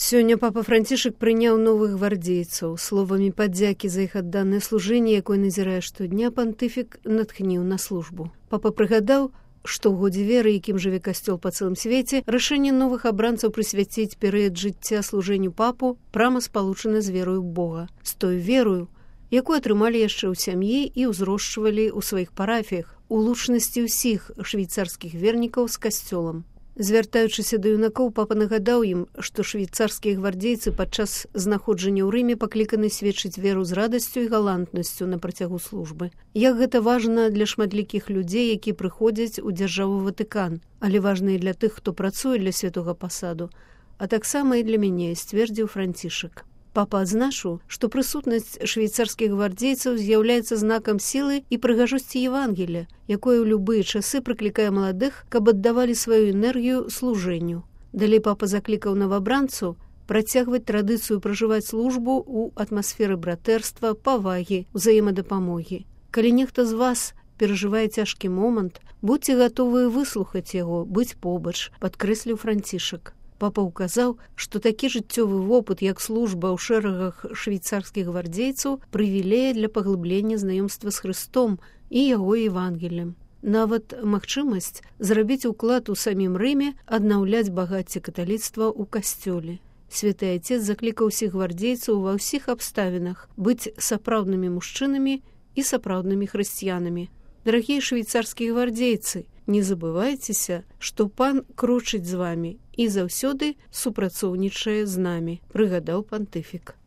Сёння папа Францішак прыняў новых гвардзейцаў. Словамі падзякі за іх адданае служэнне, якое назірае штодня, пантыфік натхніў на службу. Папа прыгадаў, што ў годзе веры, якім жыве касцёл па цэлым свеце, рашэнне новых абранцаў прысвяціць перыяд жыцця служэнню папу прама спалучана з верою ў Бога, з той верою, якую атрымалі яшчэ ў сям'і і ўзрошчвалі ў сваіх парафіях, у лучнасці ўсіх швейцарскіх вернікаў з касцёлам. Звяртаючыся да юнакоў, папа нагадаў ім, што швейцарскія гвардзейцы падчас знаходжання ў Рыме пакліканы сведчыць веру з радасцю і галантнасцю на працягу службы. Як гэта важна для шматлікіх людзей, які прыходзяць у дзяржаву Ватыкан, але важна і для тых, хто працуе для святога пасаду, а таксама і для мяне, сцвердзіў Францішак. Папа адзначыў, што прысутнасць швейцарскіх гвардзейцаў з'яўляецца знакам сілы і прыгажосці Евангелія, якое ў любыя часы прыклікае маладых, каб аддавалі сваю энергію служэнню. Далей папа заклікаў новабранцаў працягваць традыцыю пражываць службу ў атмасферы братэрства, павагі, узаемадапамогі. Калі нехта з вас перажывае цяжкі момант, будзьце гатовыя выслухаць яго, быць побач, падкрэсліў Францішак. Папа ўказаў, што такі жыццёвы вопыт, як служба ў шэрагах швейцарскіх гвардзейцаў, прывілея для паглыблення знаёмства з Хрыстом і яго Евангеліем. Нават магчымасць зрабіць уклад у самім Рыме, аднаўляць багацце каталіцтва ў касцёле. Святы Отец заклікаў усіх гвардзейцаў ва ўсіх абставінах быць сапраўднымі мужчынамі і сапраўднымі хрысціянамі. Дарагія швейцарскія гвардзейцы, не забывайцеся, што пан крочыць з вамі і заўсёды супрацоўнічае з намі, прыгадаў пантыфік.